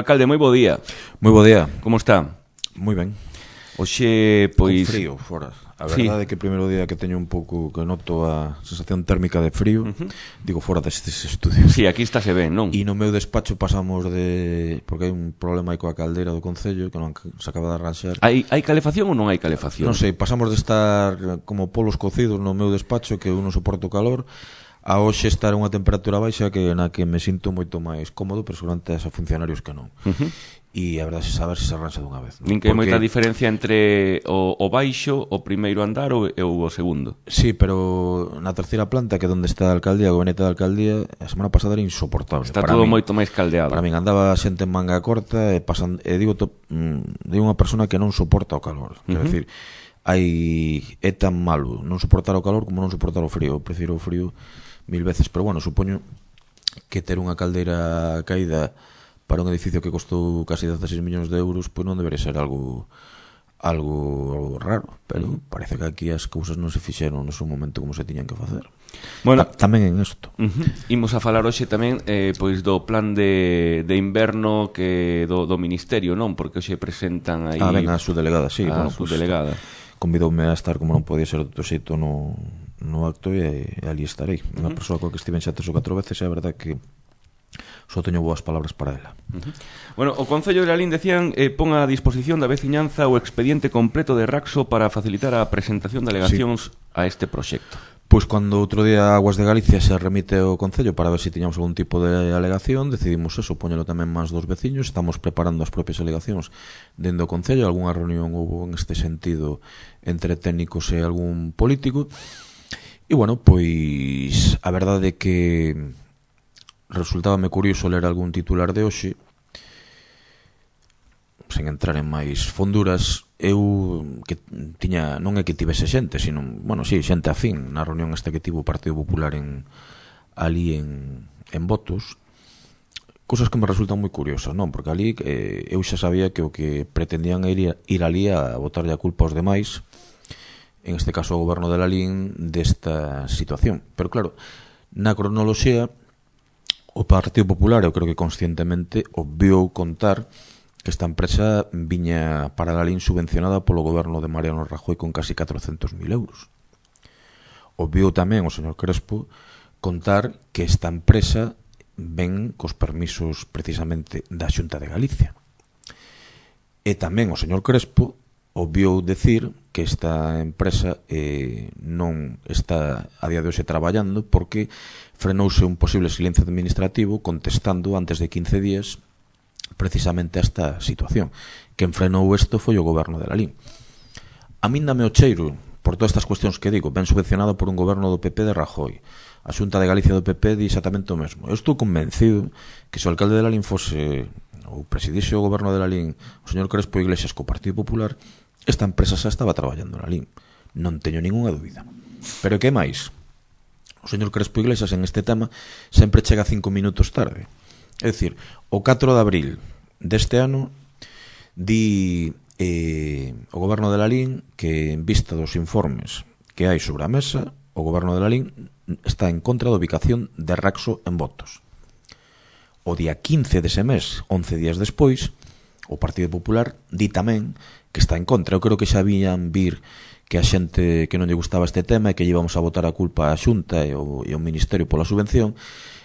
Alcalde, moi bo día. Moi bo día. Como está? Moi ben. Oxe, pois... Con frío, fora. A verdade é que o primeiro día que teño un pouco, que noto a sensación térmica de frío, digo fora destes estudios. Sí, aquí estáse ben, non? E no meu despacho pasamos de... Porque hai un problema aí coa caldeira do Concello que non se acaba de arranxar. Hai calefacción ou non hai calefacción? Non sei, pasamos de estar como polos cocidos no meu despacho, que eu non soporto calor, a hoxe estar a unha temperatura baixa na que me sinto moito máis cómodo, pero seguramente a funcionarios que non. E a verdade é saber se arranxa dunha vez. Nin que hai moita diferencia entre o baixo, o primeiro andar ou o segundo. Sí, pero na terceira planta, que é onde está a alcaldía, o gabinete da alcaldía, a semana pasada era insoportable. Está todo moito máis caldeado. Para min andaba xente en manga corta e digo unha persona que non soporta o calor. Quero dicir, é tan malo non soportar o calor como non soportar o frío. Eu prefiro o frío 1000 veces, pero bueno, supoño que ter unha caldeira caída para un edificio que costou casi 16 millóns de euros, pois non debería ser algo raro, pero parece que aquí as cousas non se fixeron no seu momento como se tiñan que facer. Bueno, tamén en isto. Imos a falar hoxe tamén pois do plan de inverno que do Ministerio, non? Porque hoxe presentan aí... Ben, a subdelegada, sí. A subdelegada. Convidoume a estar, como non podía ser de outro xeito, no acto e ali estarei. Unha persoa coa que estiven xa 3 ou 4 veces, e a verdade que só teño boas palabras para ela. Bueno, o Concello de Lalín decían pon a disposición da veciñanza o expediente completo de Raxo para facilitar a presentación de alegacións a este proxecto. Pois cando outro día Aguas de Galicia se remite ao Concello para ver se tiñamos algún tipo de alegación, decidimos eso, poñelo tamén máis dos veciños. Estamos preparando as propias alegacións dentro do Concello. Algúnha reunión houve en este sentido entre técnicos e algún político. E bueno, pois a verdade é que resultábame curioso ler algún titular de hoxe, sen entrar en máis fonduras. Eu que tiña, non é que tivese xente, sino, bueno, sí, xente afín na reunión esta que tivo o Partido Popular ali en votos, cousas que me resultan moi curiosas, non? Porque ali eu xa sabía que o que pretendían era ir ali a botarlle a culpa aos demais, en este caso ao goberno de Lalín, desta situación. Pero claro, na cronoloxía o Partido Popular, eu creo que conscientemente, obviou contar que esta empresa viña para Lalín subvencionada polo goberno de Mariano Rajoy con casi 400.000 euros. Obviou tamén o señor Crespo contar que esta empresa ven cos permisos precisamente da Xunta de Galicia. E tamén o señor Crespo obviou decir que esta empresa non está a día de hoxe traballando porque frenouse un posible silencio administrativo contestando antes de 15 días precisamente a esta situación. Quen frenou isto foi o goberno de Lalín. A min dame o cheiro, por todas estas cuestións que digo, ben subvencionado por un goberno do PP de Rajoy. A Xunta de Galicia do PP di exactamente o mesmo. Eu estou convencido que se o alcalde de Lalín fose ou presidise o goberno de Lalín o señor Crespo Iglesias co Partido Popular, esta empresa xa estaba traballando na Lalín. Non teño ningunha dúbida. Pero que máis? O señor Crespo Iglesias en este tema sempre chega 5 minutos tarde. É dicir, o 4 de abril deste ano di o goberno de Lalín que en vista dos informes que hai sobre a mesa, o goberno de Lalín está en contra da ubicación de Raxo en votos. O día 15 dese mes, 11 días despois, o Partido Popular di tamén que está en contra. Eu creo que xa vían vir que a xente que non lle gustaba este tema e que íbamos a botar a culpa á Xunta e ao Ministerio pola subvención.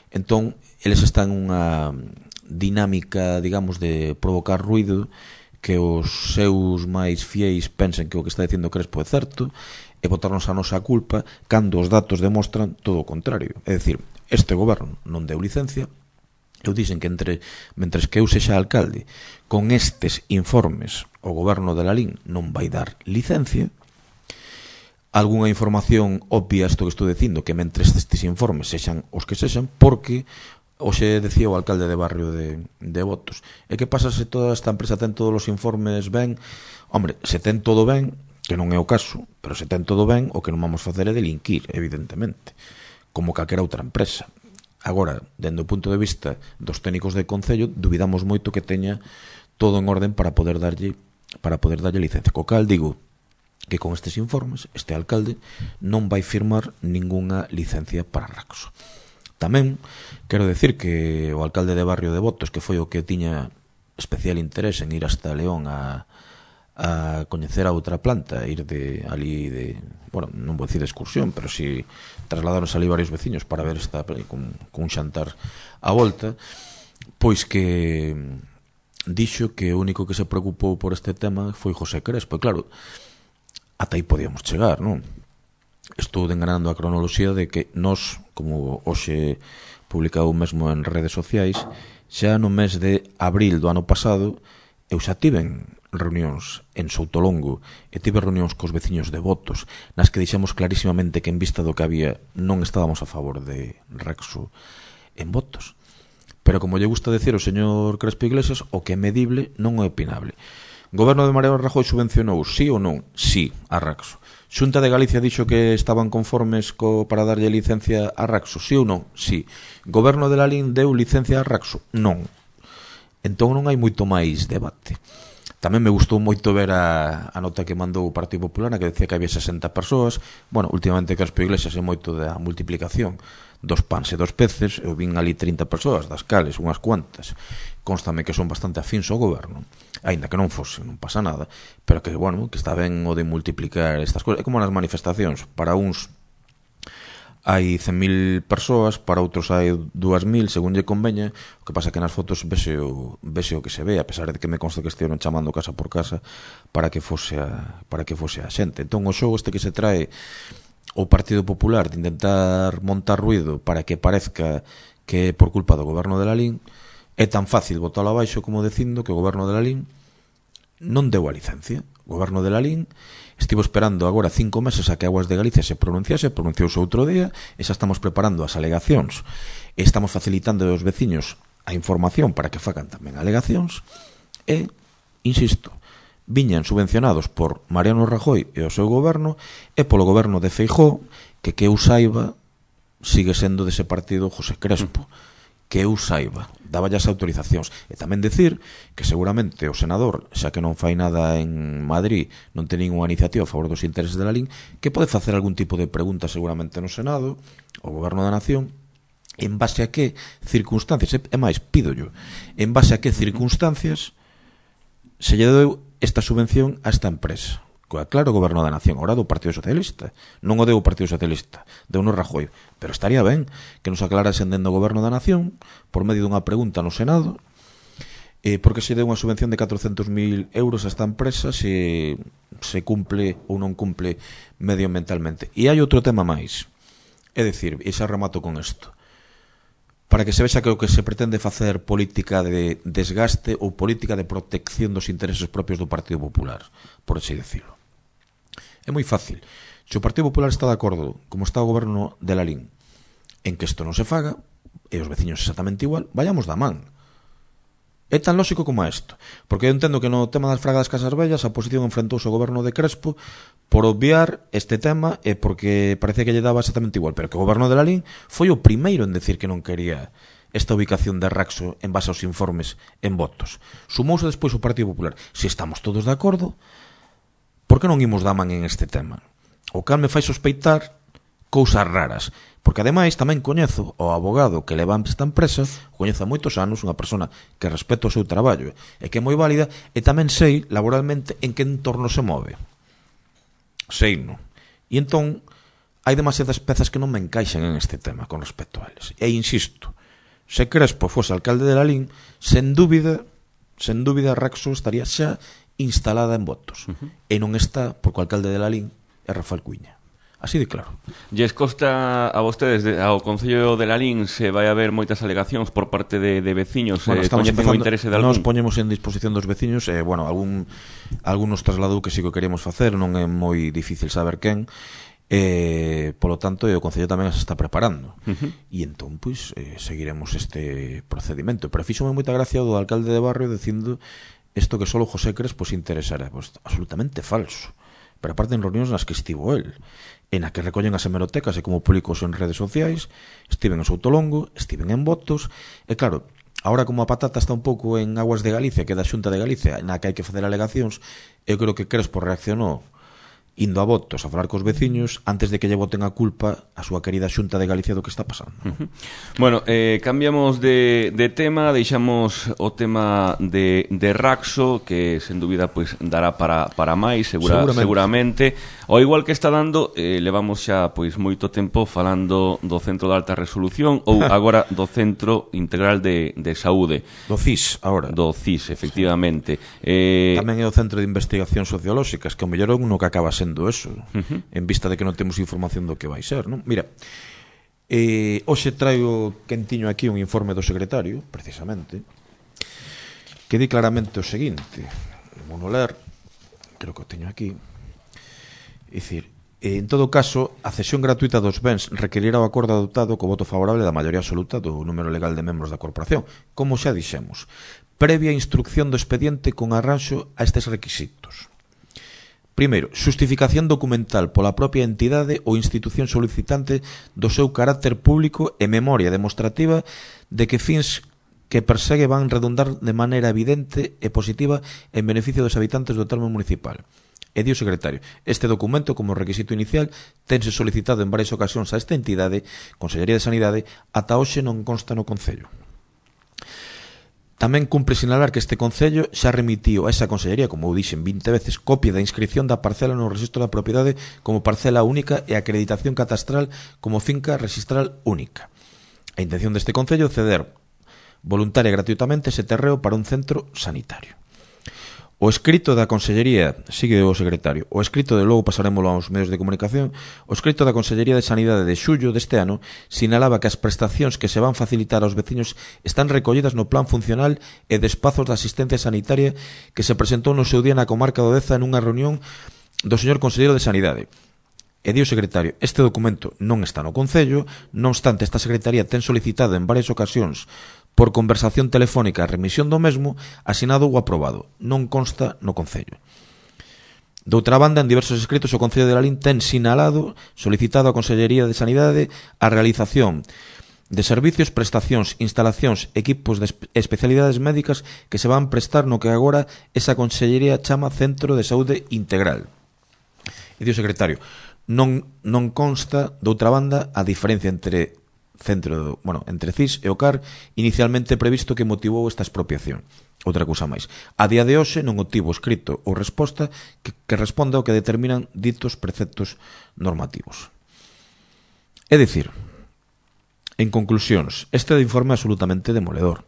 Entón, eles están unha dinámica, digamos, de provocar ruido, que os seus máis fieis pensen que o que está dicindo Crespo é certo e botarnos a nosa culpa cando os datos demostran todo o contrario. É dicir, este goberno non deu licencia. Eu dixen que mentres que eu sexa alcalde, con estes informes o goberno de Lalín non vai dar licencia. Algúnha información obvia isto que estou dicindo, que mentres estes informes sexan os que sexan, porque hoxe decía o alcalde de barrio de Votos, e que pasa se toda esta empresa ten todos os informes ben? Hombre, se ten todo ben, que non é o caso, pero se ten todo ben, o que non vamos facer é delinquir, evidentemente, como calquera outra empresa. Agora, dende o punto de vista dos técnicos de Concello, dubidamos moito que teña todo en orden para poder darlle licencia. Co cal digo que con estes informes este alcalde non vai firmar ningunha licencia para Raxo. Tamén quero decir que o alcalde de barrio de Votos, que foi o que tiña especial interés en ir hasta León a coñecer a outra planta, ir de ali de, bueno, non vou dicir de excursión, pero si trasladaron ali varios veciños para ver esta con un xantar a volta, pois que dixo que o único que se preocupou por este tema foi José Crespo. E claro, ata aí podíamos chegar, non? Estou enganando a cronoloxía de que nós, como hoxe publicado mesmo en redes sociais, xa no mes de abril do ano pasado eu xa tiven reunións en Soutolongo e tive reunións cos veciños de Botos nas que dixemos clarísimamente que en vista do que había non estábamos a favor de Raxo en Botos. Pero como lle gusta decir o señor Crespo Iglesias, o que é medible non é opinable. Goberno de Mariano Rajoy subvencionou, sí ou non? Sí, a Raxo. Xunta de Galicia dixo que estaban conformes para darlle licencia a Raxo, sí ou non? Sí. Goberno de Lalín deu licencia a Raxo? Non. Entón non hai moito máis debate. Tamén me gustou moito ver a nota que mandou o Partido Popular, na que decía que había 60 persoas. Bueno, últimamente Crespo Iglesias é moito da multiplicación dos pans e dos peces. Eu vin ali 30 persoas, das cales unhas cuantas constame que son bastante afíns ao goberno, aínda que non fose, non pasa nada, pero que, bueno, que está ben o de multiplicar estas cousas. É como nas manifestacións, para uns hai 100.000 persoas, para outros hai 2.000, según lle conveña. O que pasa que nas fotos vese o que se ve, a pesar de que me consta que estiveron chamando casa por casa para que fose a xente. Entón o xogo este que se trae o Partido Popular de intentar montar ruido para que parezca que é por culpa do goberno de Lalín, é tan fácil botalo abaixo como dicindo que o goberno de Lalín non deu a licencia. O goberno de Lalín estivo esperando agora 5 meses a que Aguas de Galicia se pronunciouse outro día, e xa estamos preparando as alegacións e estamos facilitando aos veciños a información para que fagan tamén alegacións e, insisto, viñan subvencionados por Mariano Rajoy e o seu goberno e polo goberno de Feijóo, que eu saiba sigue sendo dese partido José Crespo, que eu saiba, daba as autorizacións. E tamén decir que seguramente o senador, xa que non fai nada en Madrid, non ten ninguna iniciativa a favor dos intereses de Lalín, que pode facer algún tipo de pregunta seguramente no Senado, ao Goberno da Nación, en base a que circunstancias, e máis, pídollo, en base a que circunstancias se lle deu esta subvención a esta empresa. Claro, o Goberno da Nación, ahora do Partido Socialista, non o deu o Partido Socialista, deu no Rajoy, pero estaría ben que nos aclarasen dentro do Goberno da Nación por medio dunha pregunta no Senado porque se deu unha subvención de 400.000 euros a esta empresa, se cumple ou non cumple medioambientalmente. E hai outro tema máis, é dicir, e xa remato con isto, para que se vexa que o que se pretende facer política de desgaste ou política de protección dos intereses propios do Partido Popular, por así decirlo. É moi fácil. Se o Partido Popular está de acordo, como está o goberno de Lalín, en que isto non se faga, e os veciños exactamente igual, vayamos da man. É tan lógico como isto. Porque eu entendo que no tema das fragadas Casas Vellas a oposición enfrentouse ao goberno de Crespo por obviar este tema e porque parecía que lle daba exactamente igual, pero que o goberno de Lalín foi o primeiro en decir que non quería esta ubicación de Raxo en base aos informes en Botos. Sumouse despois o Partido Popular. Se estamos todos de acordo, por que non imos da man en este tema? O cal me fai sospeitar cousas raras, porque ademais tamén coñezo o abogado que leva esta empresa, coñezo a moitos anos, unha persona que respeta o seu traballo e que é moi válida, e tamén sei laboralmente en que entorno se move. Sei, non? E entón hai demasiadas pezas que non me encaixan en este tema con respecto a eles. E insisto, se Crespo fose alcalde de Lalín, sen dúbida Raxo estaría xa instalada en Botos. E non está, porque o alcalde de Lalín é Rafael Cuíña. Así de claro. Lles consta a vostedes, ao Concello de Lalín, se vai haber moitas alegacións por parte de veciños, coñecen o interese de algún? Nos poñemos en disposición dos veciños, bueno, algúns trasladou que sí que queríamos facer, non é moi difícil saber quen, polo tanto, o Concello tamén se está preparando. E entón, pois, seguiremos este procedimento. Pero fíxome moita gracia do alcalde de barrio dicindo isto que solo José Crespo se interesara. Pois, absolutamente falso. Pero aparte en reunións nas que estivo el, en a que recollen as hemerotecas e como públicos en redes sociais, estiven en Soutolongo, estiven en Botos, e claro, ahora como a patata está un pouco en Aguas de Galicia, que é da Xunta de Galicia, na que hai que facer alegacións, eu creo que Crespo reaccionou indo a votos a falar cos veciños antes de que lle boten a culpa a súa querida Xunta de Galicia do que está pasando. Bueno, cambiamos de tema, deixamos o tema de Raxo, que sen dúbida pues, dará para máis, seguramente. Ao igual que está dando, levamos xa pois moito tempo falando do Centro de Alta Resolución, ou agora do Centro Integral de Saúde. Do CIS, agora. Do CIS, efectivamente. Tamén é o Centro de Investigación Sociolóxicas, que o mellor é uno que acaba sendo eso, en vista de que non temos información do que vai ser, non? Mira, hoxe traigo quentiño aquí un informe do secretario, precisamente, que di claramente o seguinte, vou ler, creo que o teño aquí, é dicir, en todo caso, a cesión gratuita dos bens requerirá o acordo adoptado co voto favorable da maioría absoluta do número legal de membros da corporación, como xa dixemos, previa instrucción do expediente con arranxo a estes requisitos. Primeiro, xustificación documental pola propia entidade ou institución solicitante do seu carácter público e memoria demostrativa de que fins que persegue van redundar de maneira evidente e positiva en beneficio dos habitantes do termo municipal. E di o secretario, este documento como requisito inicial tense solicitado en varias ocasións a esta entidade, Consellería de Sanidade, ata hoxe non consta no Concello. Tamén cumpre sinalar que este Concello xa remitiu a esa Consellería, como dixen 20 veces, copia da inscripción da parcela no registro da propiedade como parcela única e acreditación catastral como finca registral única. A intención deste Concello é ceder voluntaria e gratuitamente ese terreo para un centro sanitario. O escrito da Consellería, sigue o secretario, o escrito de logo pasaremoslo aos medios de comunicación, o escrito da Consellería de Sanidade de xullo deste ano sinalaba que as prestacións que se van facilitar aos veciños están recollidas no plan funcional e de espazos de asistencia sanitaria que se presentou no seu día na comarca do Deza nunha reunión do señor Conselleiro de Sanidade. E di o secretario, este documento non está no Concello, non obstante esta Secretaría ten solicitado en varias ocasións por conversación telefónica a remisión do mesmo, asinado ou aprobado. Non consta no Concello. Doutra banda, en diversos escritos, o Concello de Lalín ten sinalado, solicitado á Consellería de Sanidade a realización de servicios, prestacións, instalacións, equipos de especialidades médicas que se van prestar no que agora esa Consellería chama Centro de Saúde Integral. E di o secretario, non consta, doutra banda, a diferencia entre entre CIS e o CAR inicialmente previsto que motivou esta expropiación. Outra cousa máis. A día de hoxe non obtivo escrito ou resposta que responda ao que determinan ditos preceptos normativos. É dicir, en conclusións, este informe é absolutamente demoledor.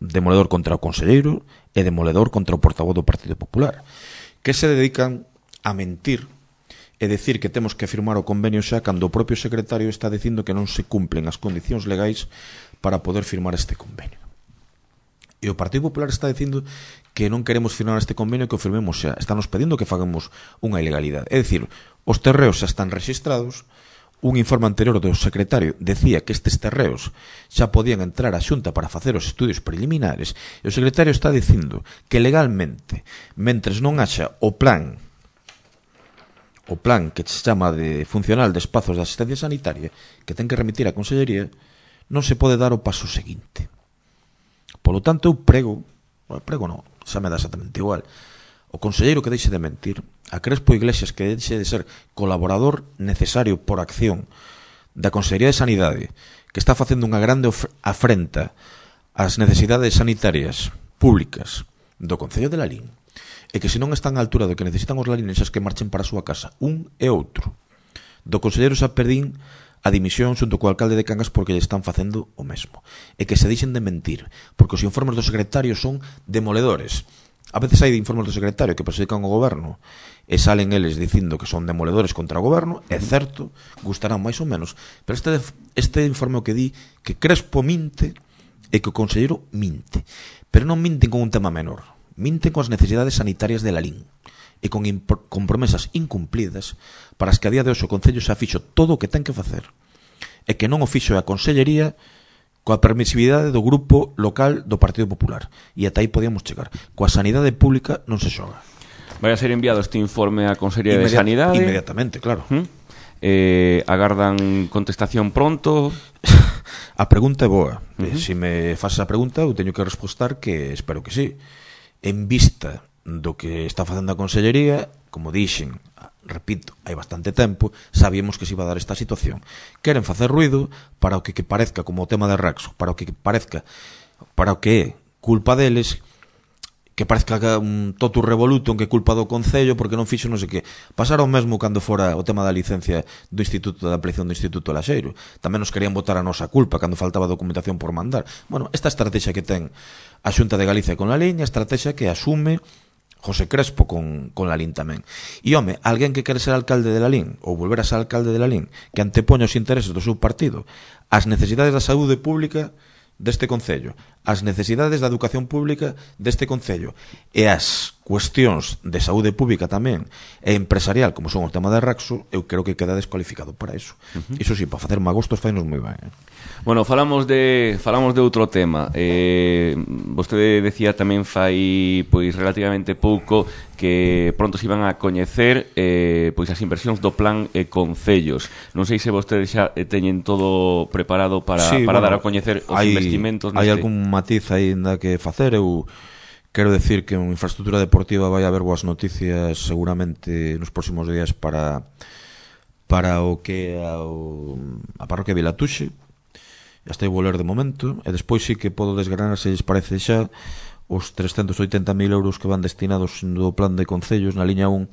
Demoledor contra o conselleiro e demoledor contra o portavoz do Partido Popular, que se dedican a mentir e decir que temos que firmar o convenio xa cando o propio secretario está dicindo que non se cumplen as condicións legais para poder firmar este convenio. E o Partido Popular está dicindo que non queremos firmar este convenio, que o firmemos xa. Están nos pedindo que fagamos unha ilegalidade. É dicir, os terreos xa están rexistrados, un informe anterior do secretario decía que estes terreos xa podían entrar á Xunta para facer os estudios preliminares, e o secretario está dicindo que legalmente, mentres non haxa o plan que se chama de funcional de espazos de asistencia sanitaria, que ten que remitir a Consellería, non se pode dar o paso seguinte. Polo tanto, eu prego non, xa me dá exactamente igual, o conselleiro que deixe de mentir, a Crespo Iglesias que deixe de ser colaborador necesario por acción da Consellería de Sanidade, que está facendo unha grande afrenta ás necesidades sanitarias públicas do Concello de Lalín, e que se non están á altura do que necesitan os lalinenses que marchen para a súa casa, un e outro. Do conselleiro xa perdín a dimisión xunto co alcalde de Cangas porque lle están facendo o mesmo. E que se deixen de mentir, porque os informes do secretario son demoledores. A veces hai informes do secretario que perxudican o goberno e salen eles dicindo que son demoledores contra o goberno, é certo, gustarán máis ou menos, pero este informe o que di que Crespo minte e que o conselleiro minte. Pero non minten con un tema menor. Minten con as necesidades sanitarias de Lalín e con promesas incumplidas para as que a día de hoxe o Concello xa fixo todo o que ten que facer e que non o fixo a Consellería coa permisividade do grupo local do Partido Popular, e ata aí podíamos chegar. Coa sanidade pública non se xoga. Vai a ser enviado este informe á Consellería de Sanidade inmediatamente, claro. Agardan contestación pronto. A pregunta é boa. Se me faz a pregunta eu teño que respostar que espero que sí. En vista do que está facendo a Consellería, como dixen, repito, hai bastante tempo, sabíamos que se iba a dar esta situación. Queren facer ruido para o que parezca, como o tema de Raxo, para o que parezca, para o que é culpa deles, que parezca un totu revoluto, que é culpa do Concello, porque non fixo non sei que. Pasara o mesmo cando fora o tema da licencia do Instituto, da ampliación do Instituto Laxeiro. Tamén nos querían botar a nosa culpa cando faltaba documentación por mandar. Bueno, esta estrategia que ten a Xunta de Galicia con la liña, estrategia que asume José Crespo con Lalín tamén. E, home, alguén que quere ser alcalde de Lalín ou volver a ser alcalde de Lalín, que antepoña os intereses do seu partido as necesidades da saúde pública deste Concello, as necesidades da educación pública deste Concello e as cuestións de saúde pública tamén e empresarial, como son o tema de Raxo, eu creo que queda descualificado para iso. Iso sí, para facer magostos fainos moi ben. Bueno, falamos de outro tema. Vostede decía tamén fai pois relativamente pouco que pronto se iban a coñecer pois as inversións do plan Concellos. Non sei se vostedes xa teñen todo preparado para dar a coñecer os investimentos. Hai algún matiz aínda que facer. Eu quero decir que en infraestructura deportiva vai haber boas noticias seguramente nos próximos días para o que a parroquia de Vilatuxe. Ya estou a ler de momento, e despois sí que podo desgranar, se lles parece xa, os 380.000 euros que van destinados do plan de concellos na liña 1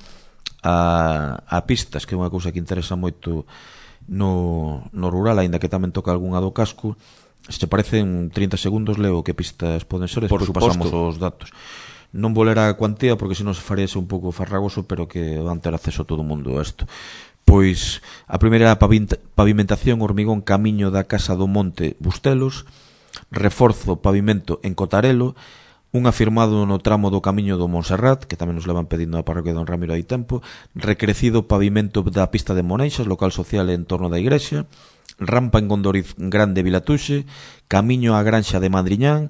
a pistas, que é unha cousa que interesa moito no rural, aínda que tamén toca algunha do casco. Se te parece, en 30 segundos leo que pistas poden ser, e despois pasamos os datos. Non vou ler a cuantía porque senón se faríase un pouco farragoso, pero que van ter acceso a todo o mundo a isto. Pois a primeira pavimentación hormigón camiño da Casa do Monte Bustelos, reforzo pavimento en Cotarelo, un afirmado no tramo do camiño do Montserrat, que tamén nos levan pedindo a parroquia don Ramiro hai tempo, recrecido pavimento da pista de Moneixas, local social en torno da igrexa, rampa en Gondoriz Grande Vilatuxe, camiño á Granxa de Madriñán,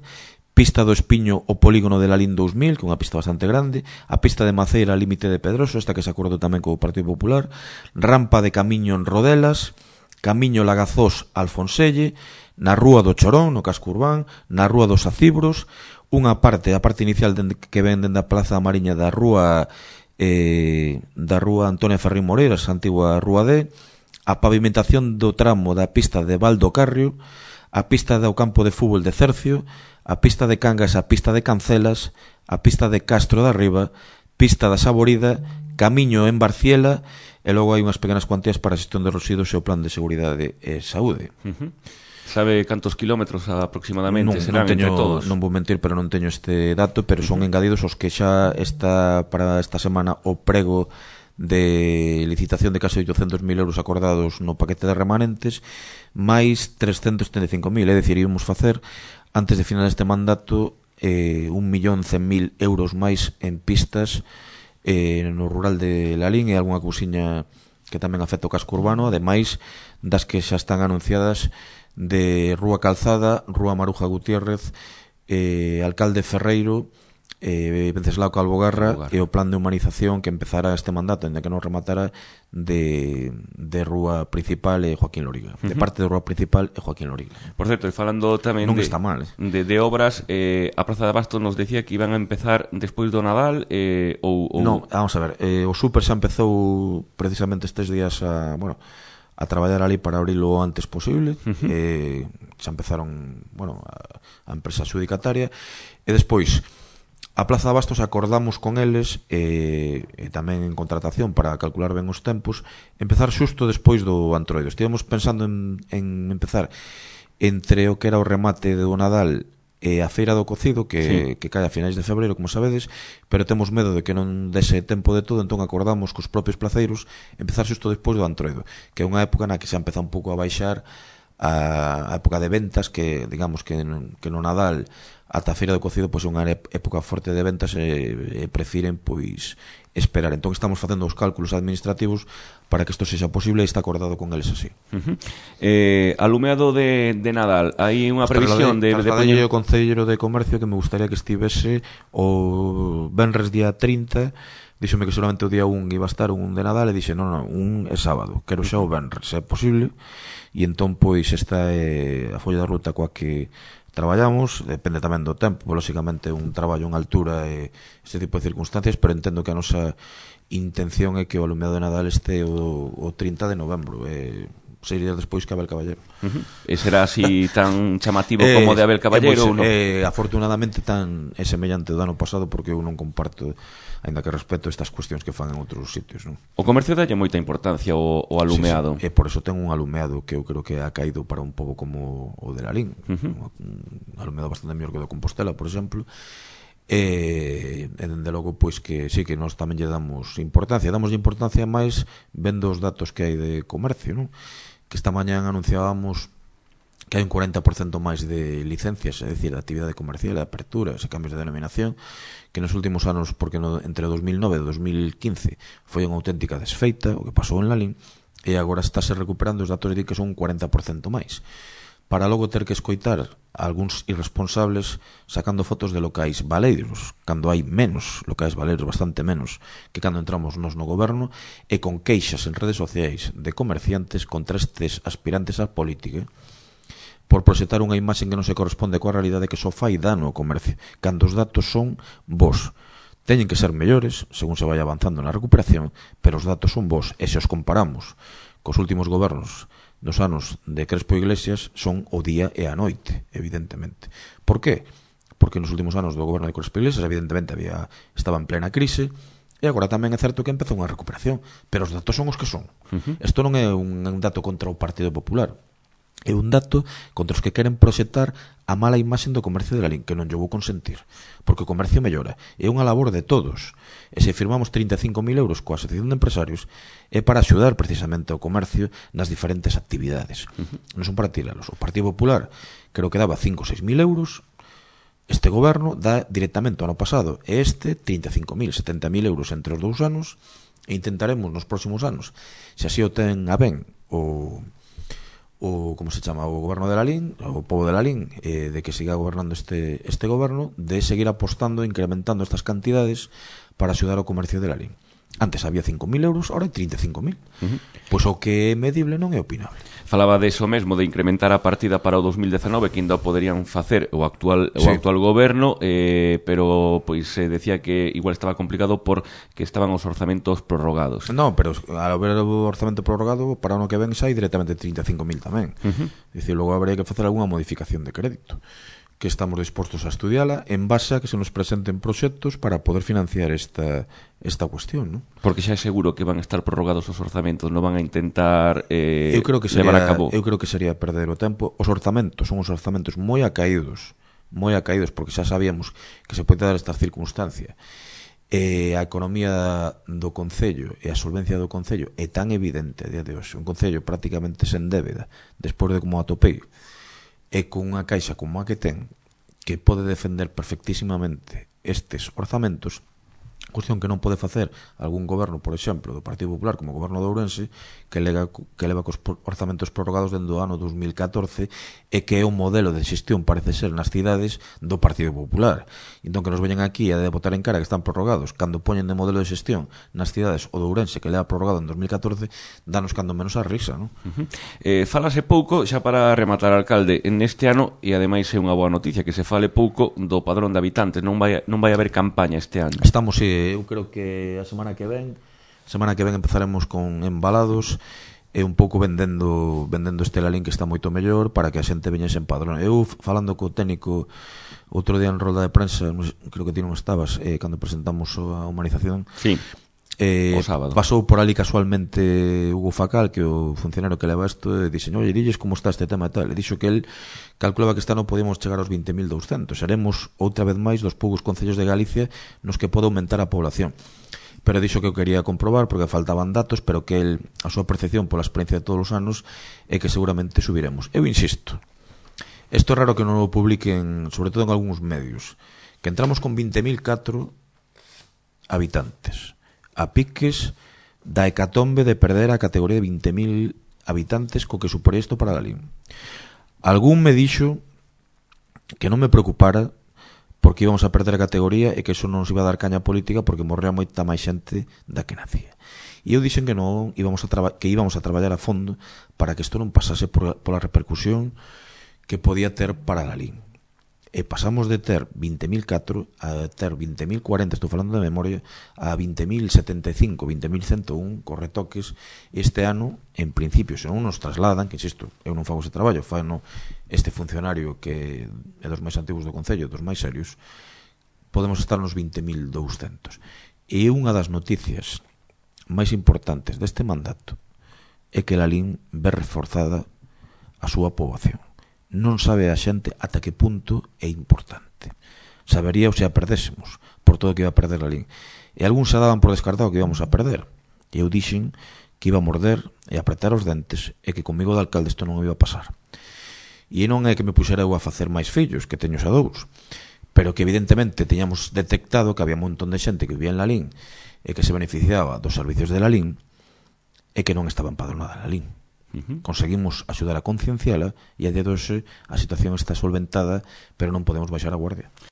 pista do Espiño o polígono de Lalín 2000, que é unha pista bastante grande, a pista de Maceira límite de Pedroso, esta que se acordou tamén co Partido Popular, rampa de camiño en Rodelas, camiño Lagazós Alfonselle, na Rúa do Chorón, no casco urbán, na Rúa dos Acibros, unha parte, a parte inicial que ven dende a Plaza da Mariña da Rúa Antonia Ferrín Moreiras, antigua Rúa D, a pavimentación do tramo da pista de Valdo Carrio, a pista do campo de fútbol de Cercio, a pista de Cangas, a pista de Cancelas, a pista de Castro da Riba, pista da Saborida, camiño en Barciela, e logo hai unhas pequenas cuantías para a xestión de residuos e o plan de seguridade e saúde. Sabe cantos kilómetros aproximadamente serán entre todos? Non vou mentir, pero non teño este dato, pero son engadidos os que xa está para esta semana o prego de licitación de case 800.000 euros acordados no paquete de remanentes, máis 335.000, é dicir, íamos facer antes de final deste mandato 1.100.000 euros máis en pistas no rural de Lalín e algunha cousiña que tamén afecta o casco urbano, ademais das que xa están anunciadas de Rúa Calzada, Rúa Maruja Gutiérrez, Alcalde Ferreiro, Venceslao Calvogarra e o plan de humanización que empezará este mandato, ainda que non rematara, de Rúa Principal e Joaquín Loriga, de parte de Rúa Principal e Joaquín Loriga. Por certo, e falando tamén non está mal, de obras, a Praza de Abasto nos decía que iban a empezar despois do Nadal ou... Non, vamos a ver, o Super xa empezou precisamente estes días a traballar ali para abrilo o antes posible. Xa empezaron a empresa adjudicataria e despois a Plaza de Abastos acordamos con eles e tamén en contratación para calcular ben os tempos, empezar xusto despois do Antroido. Estivemos pensando en empezar entre o que era o remate do Nadal e a Feira do Cocido, que cae a finais de febreiro, como sabedes, pero temos medo de que non dese tempo de todo, entón acordamos cos propios placeiros empezar xusto despois do Antroido, que é unha época na que se empeza un pouco a baixar a época de ventas, que digamos que no Nadal ata a Feira do Cocido pois é unha época forte de ventas e prefiren pois esperar. Entón estamos facendo os cálculos administrativos para que isto sexa posible e está acordado con eles así. Alumeado de Nadal, hai unha previsión de poñer o Concelleiro de Comercio que me gustaría que estivese o venres día 30. Díxome que solamente o día 1 iba a estar un de Nadal e dixe, non, un é sábado, quero xa o venres, se é posible. E entón pois esta é a folla da ruta coa que traballamos, depende tamén do tempo, lóxicamente un traballo en altura e este tipo de circunstancias, pero entendo que a nosa intención é que o alumeado de Nadal este o 30 de novembro, 6 días despois que Abel Caballero. E será así tan chamativo como de Abel Caballero ou non? Afortunadamente tan semellante do ano pasado, porque eu non comparto, ainda que respeto estas cuestións que fan en outros sitios, non? O comercio dalle moita importancia o alumeado. Sí, por eso ten un alumeado que eu creo que ha caído para un pobo como o de Lalín, un alumeado bastante mellor que o de Compostela, por exemplo. E dende logo, pois que sí, que nós tamén lle damos importancia máis vendo os datos que hai de comercio, non? Que esta mañán anunciábamos que hai un 40% máis de licencias, é dicir, de actividade comercial, de aperturas e cambios de denominación, que nos últimos anos, porque entre 2009 e 2015 foi unha auténtica desfeita o que pasou en Lalín, e agora estáse recuperando, os datos de que son un 40% máis, para logo ter que escoitar algúns irresponsables sacando fotos de locais baleiros, cando hai menos locais baleiros, bastante menos que cando entramos nos no goberno, e con queixas en redes sociais de comerciantes contra estes aspirantes á política por proxectar unha imaxe que non se corresponde coa realidade, que só fai dano ao comercio, cando os datos son bons. Teñen que ser mellores según se vai avanzando na recuperación, pero os datos son bons, e se os comparamos cos últimos gobernos dos anos de Crespo Iglesias, son o día e a noite, evidentemente. Por qué? Porque nos últimos anos do goberno de Crespo Iglesias, evidentemente, estaba en plena crise, e agora tamén é certo que empezou unha recuperación, pero os datos son os que son. Isto non é un dato contra o Partido Popular, é un dato contra os que queren proxectar a mala imaxe do comercio de Lalín, que non lle vou consentir, porque o comercio mellora, é unha labor de todos, e se firmamos 35.000 euros coa Asociación de Empresarios é para axudar precisamente ao comercio nas diferentes actividades, non son para tiralos. O Partido Popular creo que daba 5 ou 6.000 euros, este goberno dá directamente o ano pasado, e 35.000, 70.000 euros entre os 2 anos, e intentaremos nos próximos anos, se así o ten a ben como se chama, o goberno de Lalín, o pobo de Lalín, de que siga gobernando este goberno, de seguir apostando, incrementando estas cantidades para axudar ao comercio de Lalín. Antes había 5.000 euros, ahora hai 35.000. Pois o que é medible non é opinable. Falaba de eso mesmo, de incrementar a partida para o 2019, que ainda poderían facer o actual goberno, pero pois se decía que igual estaba complicado porque estaban os orzamentos prorrogados. Non, pero ao ver o orzamento prorrogado, para o ano que ven xa hai directamente 35.000 tamén. Dicir, logo habería que facer algunha modificación de crédito, que estamos dispostos a estudiala en base a que se nos presenten proxectos para poder financiar esta cuestión, ¿no? Porque xa é seguro que van a estar prorrogados os orzamentos, non van a intentar levar a cabo. Eu creo que sería perder o tempo. Os orzamentos son os orzamentos moi acaídos, porque xa sabíamos que se pode dar esta circunstancia. A economía do Concello e a solvencia do Concello é tan evidente a día de hoxe, un Concello prácticamente sen débeda, despois de como atopei, e con unha caixa como a que ten, que pode defender perfectísimamente estes orzamentos, cuestión que non pode facer algún goberno, por exemplo, do Partido Popular, como o goberno de Ourense, que leva cos orzamentos prorrogados dende o ano 2014, e que é un modelo de xestión, parece ser, nas cidades do Partido Popular. Entón, que nos veñan aquí a botar en cara que están prorrogados, cando poñen de modelo de xestión nas cidades o de Ourense, que leva prorrogado en 2014, danos cando menos a risa, non? Falase pouco, xa para rematar, alcalde, neste ano, e ademais é unha boa noticia, que se fale pouco do padrón de habitantes, non vai haber campaña este ano. Estamos, eu creo que a semana que ven empezaremos con embalados e un pouco vendendo este Lalín, que está moito mellor, para que a xente veñese en padrón. Eu, falando co técnico outro día en rolda de prensa, creo que ti non estabas, cando presentamos a humanización, sí, o sábado, pasou por ali casualmente Hugo Facal, que é o funcionario que leva isto, e dixen, oye, dilles como está este tema e tal, e dixo que el calculaba que este ano podíamos chegar aos 20.200, seremos outra vez máis dos poucos concellos de Galicia nos que pode aumentar a población, pero dixo que eu quería comprobar porque faltaban datos, pero que el, a súa percepción pola experiencia de todos os anos é que seguramente subiremos. Eu insisto, isto é raro que non o publiquen, sobre todo en algúns medios, que entramos con 20.004 habitantes, a piques da hecatombe de perder a categoría de 20.000 habitantes co que supone isto para Lalín. Algún me dixo que non me preocupara porque íbamos a perder a categoría e que eso non nos iba a dar caña política porque morrea moita máis xente da que nacía. E eu dixen que non, que íbamos a traballar a fondo para que isto non pasase pola repercusión que podía ter para Lalín. e pasamos de ter 20.004 a ter 20.040, estou falando de memoria, a 20.075, 20.101 con retoques este ano. En principio, se non nos trasladan, que insisto, eu non fago ese traballo, fano este funcionario que é dos máis antigos do Concello, dos máis serios, podemos estar nos 20.200. E unha das noticias máis importantes deste mandato é que Lalín ve reforzada a súa poboación. Non sabe a xente ata que punto é importante. Sabería se a perdésemos por todo o que iba a perder Lalín. E algúns se daban por descartado que íbamos a perder. E eu dixen que iba a morder e apretar os dentes e que comigo de alcalde isto non iba a pasar. E non é que me puxera eu a facer máis fillos, que teño xa 2, pero que evidentemente teñamos detectado que había un montón de xente que vivía en Lalín e que se beneficiaba dos servicios de Lalín e que non estaba empadronada en Lalín. Conseguimos axudar a concienciala e a día de hoxe a situación está solventada, pero non podemos baixar a guardia.